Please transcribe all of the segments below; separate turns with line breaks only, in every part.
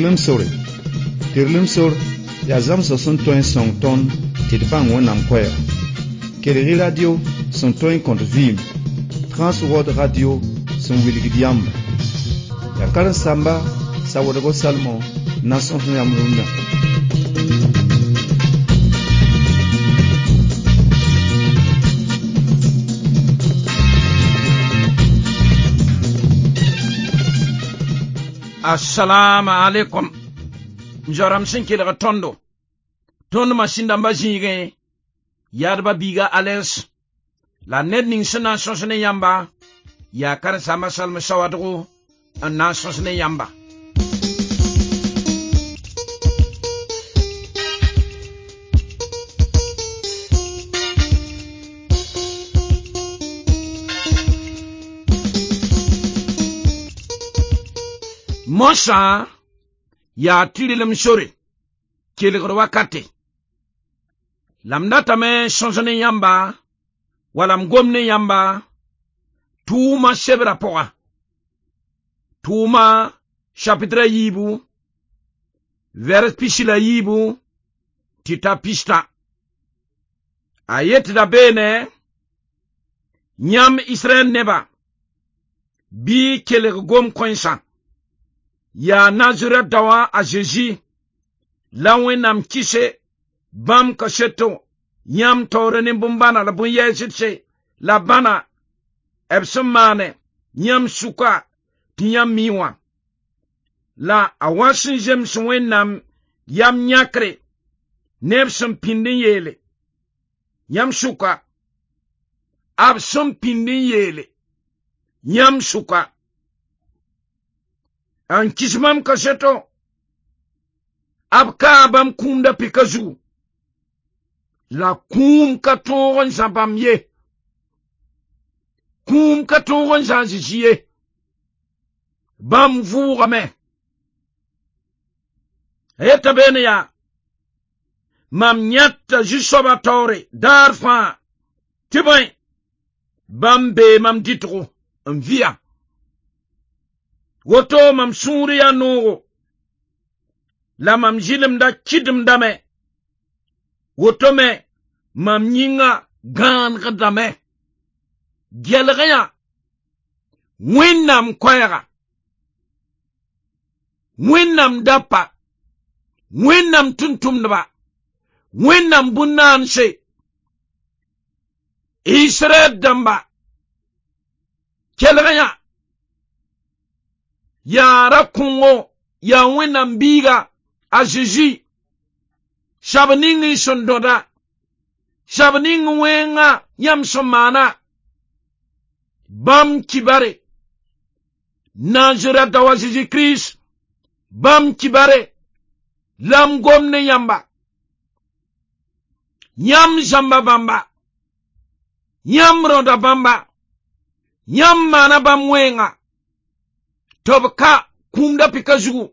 Tɩrlem sore. Tɩrlem sor yaa zãmsg sẽn tõe n sõng tõnd tɩ d bãng Wẽnnaam koɛɛga. Kelg-y radio sẽn tõe n kõt vɩɩm, Transworld Radio sẽn wilgd yãmba. Yaa karen-saamba Sawadgo Salmon n na n sõs yãmb rũndã.
Assalamu alaikum. M zoa-rãmb sẽn kelg tõndo. Tõnd masĩn dãmbã zĩigẽ, yaadbã biiga Alens. La ned ning sẽn na n sõs ne yãmba, yaa karen-saamba Salm Sawadgo n na n sõs ne yãmba. Mosã yaa tɩrlem sore, kelgr wakate. La m datame sõs ne yãmba, wala m gom ne yãmba, tʋʋma sebrã pʋga. Tʋʋma chapitre a yiibu, vers pisi la yiibu, tɩ ta pistã. A yetda beene, yãmb Israɛl neba, bɩ kelg gom-kõensã. Yaa Nazarɛt daowã a Zezi la Wẽnnaam kɩse bãmb kaseto yãmb taoore ne bõn-bãna la bõn-yɛɛsdse la bãna b sẽn maane yãmb sʋka tɩ yãmb mi wã. La a wa sẽn zems Wẽnnaam yam yãkre ne b sẽn pĩnd n yeele yãmb sʋka, b sẽn pĩnd n yeele yãmb sʋka. N kɩs bãmb kaseto, b kaa bãmb kũumda pika zugu, la kũum ka tõog n zã bãmb ye. Kũum ka tõog n zã a Zezi ye. Bãmb vʋʋgame. A yeta beene yaa, mam yãta zu-soabã taoore daar fãa, tɩ bõe, bãmb bee mam dɩtgo n vɩa. Woto mam sũur yaa noogo, la mam zɩlemda kɩdemdame. Woto me mam yĩnga gãanegdame. Gelg yã Wẽnnaam koɛɛga, Wẽnnaam dapa, Wẽnnaam tʋm-tʋmdba, Wẽnnaam bũn-naanse, Israɛl dãmba, kelg yã yaa ra-kõngo, yaa Wẽnnaam biiga a Zezi, sab ning n sẽn dõda, sab ning wẽnga yãmb sẽn maana, bãmb kibare, Nazarɛt daoã Zezi Kirist, bãmb kibare, la m gom ne yãmba. Yãmb zãmba bãmba, yãmb rõda bãmba, yãmb maana bãmb wẽnga, tɩ b ka kũumda pika zugu.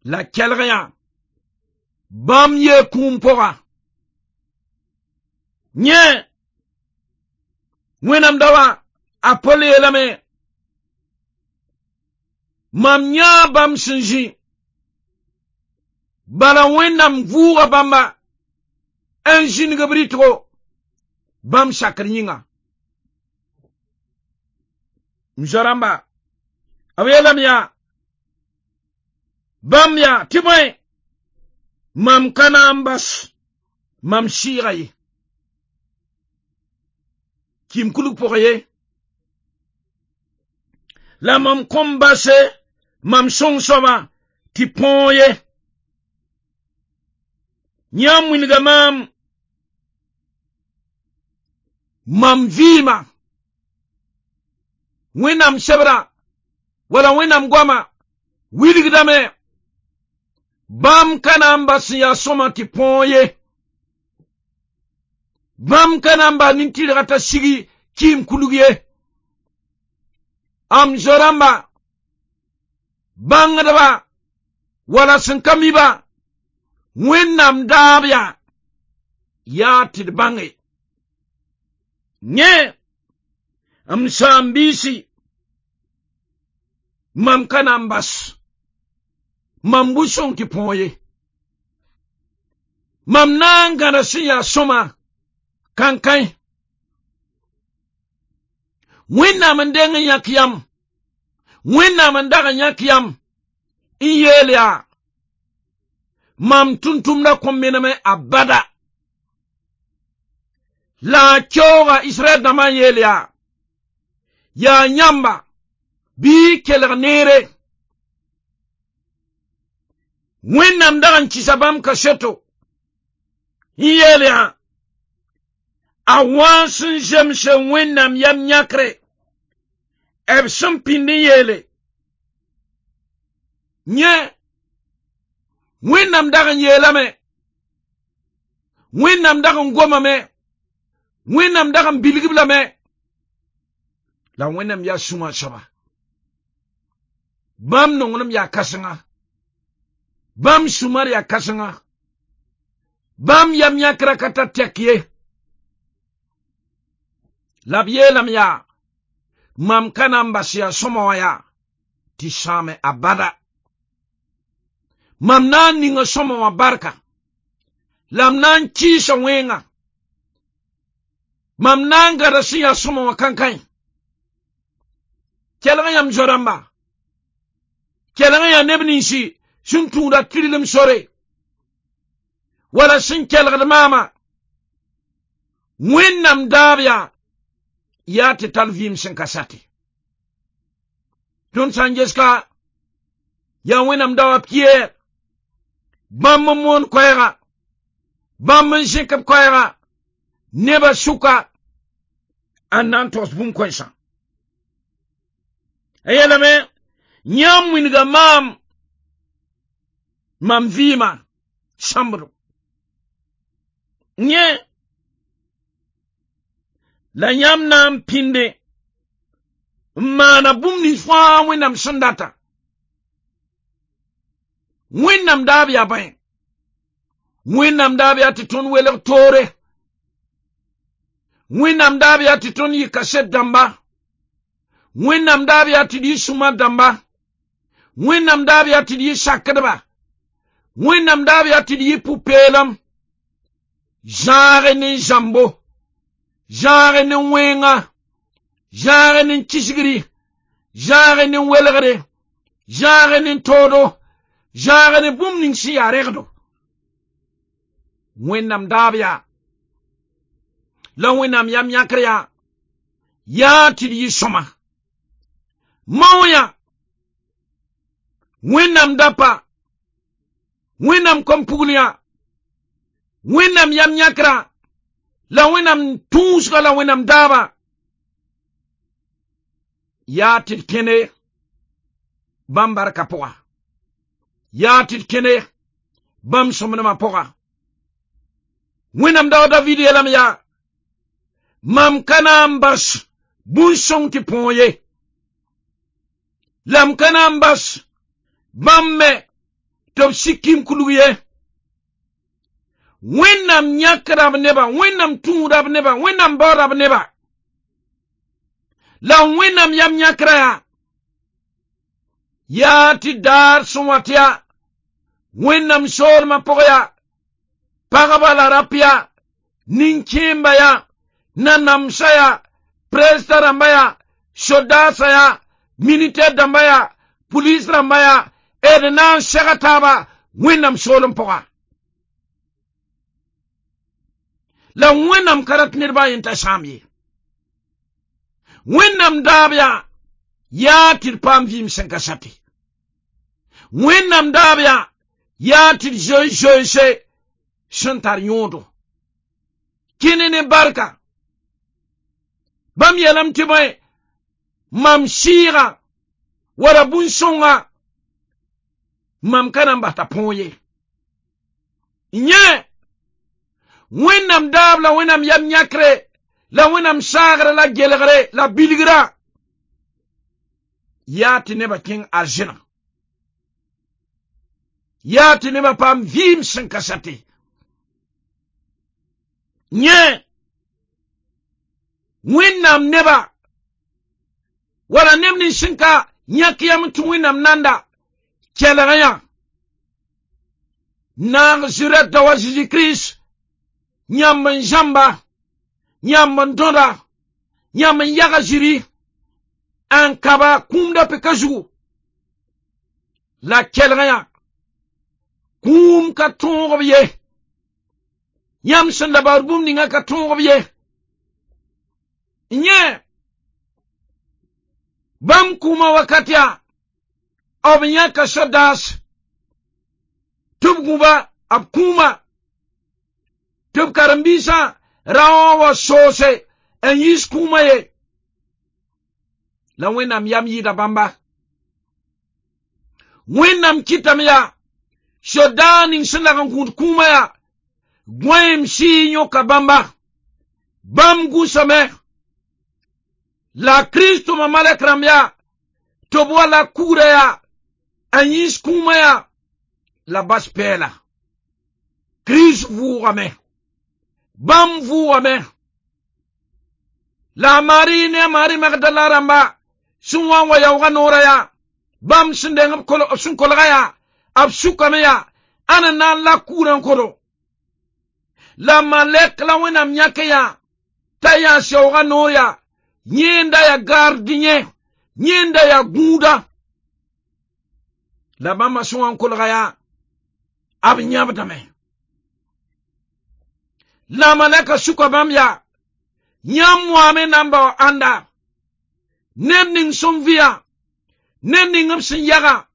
La kelg yã, bãmb yee kũum pʋga. Yẽ, Wẽnnaam daoã a Pol yeelame, mam yãa bãmb sẽn zĩ, bala Wẽnnaam vʋʋga bãmba n zĩnig b rɩtgo bãmb sakr yĩnga. M zoa-rãmba, b yeelame yaa, bãmb yaa tɩ bõe, mam ka na n bas mam sɩɩga ye. Kɩɩm kulg pʋgẽ ye. La mam kõn base mam sõng soabã tɩ põog ye. Yãmb wilga maam mam vɩɩma Wẽnnaam sebra wala Wẽnnaam goama wilgdame bãmb ka na n bas n yaa sõma tɩ põog ye. Bãmb ka na n bas nin-tɩrgã t'a sigi kɩɩm kulg ye. Am zo-rãmba, bãngdba wala sẽn ka mi-ba, Wẽnnaam daab yaa tɩ d bãnge. Yẽ, m saam-biisi, mam ka na n bas Mam bu-sõng tɩ põog ye. Mam na n gãda sẽn yaa sõma kankãi. Wẽnnaam n deng n yãk yam, Wẽnnaam n dag n yãk yam n yeel yaa mam tʋm-tʋmdã kõn meneme abada. La a keooga Israɛl dãmbã n yeel yaa, yaa yãmba bɩ y kelg neere. Wẽnnaam dag n kɩsa bãmb kaseto n yeel yaa, a wã sẽn zemse Wẽnnaam yam yãkre b sẽn pĩnd n yeele. Yẽ Wẽnnaam dag n yeelame, Wẽnnaam dag n gomame, Wẽnnaam dag n bilg-b lame, la Wẽnnaam yaa sũma soaba. Bãmb nonglem yaa kãsenga, bãmb sũmar yaa kãsenga, bãmb yam yãkrã ka tar tɛk ye. La b yeelame yaa, mam ka na n bas yaa sõma wã yaa tɩ sãame abada. Mam na n ninga sõma wã barka, la m na n kɩɩsa wẽnga. Mam na n gãda sẽn yaa sõma wã kankãi. Kelg yãmb zo-rãmba, kelg yaa neb ninsi sẽn tũuda tɩrlem sore, wala sẽn kelgd maama. Wẽnnaam daab yaa tɩ tall vɩɩm sẽn ka sate. Tõnd sã n ges ka yaa Wẽnnaam dao a Piyɛr, bãmb n moon koɛɛga, bãmb n zẽk b koɛɛga nebã sʋka n na n togs bũmb kãensã. A yeelame, yãmb wilga maam mam vɩɩmã sãmbdo. Yẽ la yãmb na n pĩnde n maana bũmb nins fãa Wẽnnaam sẽn data. Wẽnnaam daab yaa bãe. Wẽnnaam daab yaa tɩ tõnd welg toore. Wẽnnaam daab yaa tɩ tõnd yɩ kaset dãmba. Wẽnnaam daab yaa tɩ d yɩ sũma dãmba. Wẽnnaam daab yaa tɩ d yɩ sakdba. Wẽnnaam daab yaa tɩ d yɩ pʋ-peelem. Zãage ne zãmbo, zãage ne wẽnga, zãage ne kisgri, zãage ne welgre, zãage ne toodo, zãage ne bũmb ning sẽn yaa regdo. Wẽnnaam daab yaa, la Wẽnnaam yam yãkr yaa, yaa tɩ d yɩ sõma. Mao yã, Wẽnnaam dapa, Wẽnnaam kom-pugl yã, Wẽnnaam yam yãkrã, la Wẽnnaam tũusga la Wẽnnaam daaba, yaa tɩ d kẽne bãmb barka pʋga, yaa tɩ d kẽne bãmb sõmblmã pʋga. Wẽnnaam dao David yeelame yaa, mam ka na n bas bũn-sõng tɩ põog ye, la m ka na n bas bãmb me tɩ b sik kim kulg ye. Wẽnnaam yãkra b nebã, Wẽnnaam tũuda b nebã, Wẽnnaam baooda b nebã, la Wẽnnaam yam yãkrã yaa tɩ daar sẽn wat yaa Wẽnnaam soolmã pʋg yaa pagba la rap yaa nin-kẽemba yaa nanamsã yaa presta rãmba yaa sodaasã yaa militaire dãmba yaa pulis rãmba yaa d na n sega taaba Wẽnnaam soolem pʋga. La Wẽnnaam ka rat ned baa yen t'a sãam ye. Wẽnnaam daab yaa tɩ d paam vɩɩm sẽn ka sate. Wẽnnaam daab yaa tɩ d zoe zoense sẽn tar yõodo. Kẽne ne barka. Bãmb yeelame tɩ bõe, mam sɩɩga wala bũn-sõnga mam ka na n bas t'a põog ye. Yẽ Wẽnnaam daab la Wẽnnaam yam yãkre la Wẽnnaam saagre la gelgre la bilgrã yaa tɩ nebã kẽng arzẽna, yaa tɩ nebã paam vɩɩm sẽn ka sate. Yẽ Wẽnnaam neba wala neb nins sẽn ka yãk yam tɩ Wẽnnaam nanda kelg yã. Naazarɛt daoã Zeezi Kirist yãmb n zãmba, yãmb n dõda, yãmb n yaga ziri n kaba kũumda pika zugu. La kelgã yaa kũum ka tõog b ye. Yãmb sẽn da baood bũmb ninga ka tõog b ye. Yẽ bãmb kũumã wakat yaa b yãka sodaas tɩ b gũba b kũumã tɩ b karen-biisã raoã wa soose n yiis kũumã ye. La Wẽnnaam yam yɩɩda bãmba. Wẽnnaam kɩtame yaa sodaag ning sẽn lag n gũud kũumã yaa gõeem sɩɩ yõka bãmba. Bãmb gũsame la Kirist tʋma malɛk rãmb yaa tɩ b wa la kugrã yaa n yĩs kũumã yaa la bas pɛɛla. Kirist vʋʋgame. Bãmb vʋʋgame. La a Maari ne a Maari Magdala rãmba sẽn wa n wa yaoogã noorã yaa bãmb sẽn deng b sẽn kolga yaa b sukame yaa ãn n na n lak kugrã n kodo. La malɛk la Wẽnnaam yãke yaa t'a yaa sɛoogã noor yaa yẽnda yaa gardien, yẽnda yaa gũuda. La bãmba sẽn wa n kolga yaa b yãbdame. La malɛka suka bãmb yaa yãmb wame na n bao ãnda ned ning sẽn vɩa, ned ning b sẽn yaga,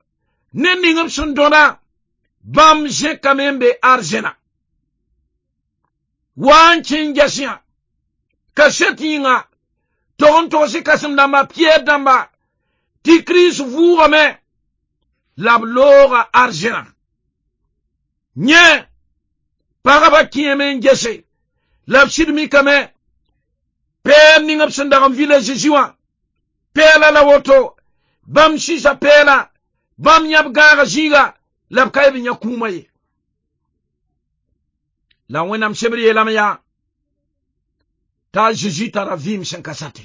ned ning b sẽn dõda, bãmb zẽkame n be arzẽna. Wa n kẽ n ges yã kaset yĩnga tog n togs kãsem dãmba Piyɛr dãmba tɩ Kirist vʋʋgame la b looga arzẽna. Yẽ pagba kẽeme n gese la b sɩd mikame pɛɛl ning b sẽn dag n vɩla Zeezi wã pɛɛla la woto bãmb sɩsa pɛɛla bãmb yãb gãaga zĩiga la b ka b yã kũumã ye. La Wẽnnaam sebr yeelame yaa t'a Zeezi tara vɩɩm sẽn ka sate.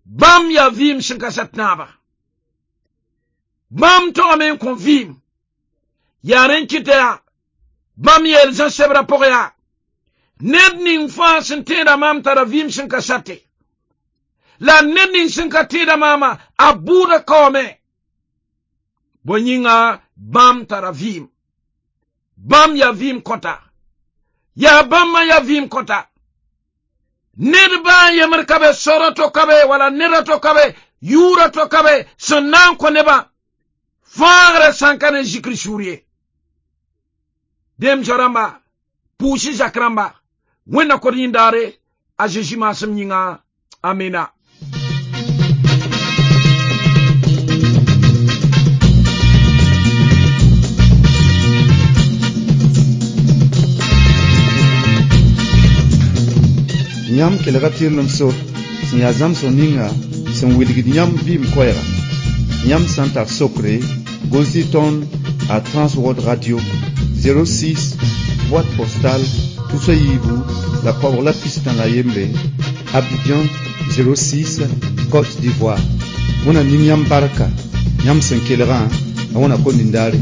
Bãmb yaa vɩɩm sẽn ka sat naaba. Bãmb togame n kõ vɩɩm. Yaa rẽ n kɩta yaa bãmb yeel Zã sebrã pʋgẽ yaa ned ning fãa sẽn tẽeda maam tara vɩɩm sẽn ka sate. La ned ning sẽn ka tẽeda maama a bʋʋda kaoome. Bõe yĩnga bãmb tara vɩɩm. Bãmb yaa vɩɩm kõta. Yaa bãmb yaa vɩɩm kõta. Ned baa n yembr ka be, sora to ka be, wala neda to ka be, yʋʋra to ka be, sẽn na n kõ nebã fãagrã sã n ka ne zikr sũur ye. Dem rãmba, pʋʋs zak rãmba, Wẽnna kod yĩndaare a Zeezi maasem yĩnga. Amina.
Yãmb kelga tɩrlem sor sẽn yaa zãmsg ninga sẽn wilgd yãmb vɩɩm koɛɛga. Yãmb sã n tar sokre, gʋls-y tõnd a Transworld Radio 06 boîte postale tusa yiibu la koabg la pistã la yembre, Abidjan 06, Côte d'Ivoire. Wẽnnaam ning yãmb barka yãmb sẽn kelgã, la wẽna kom nindaare.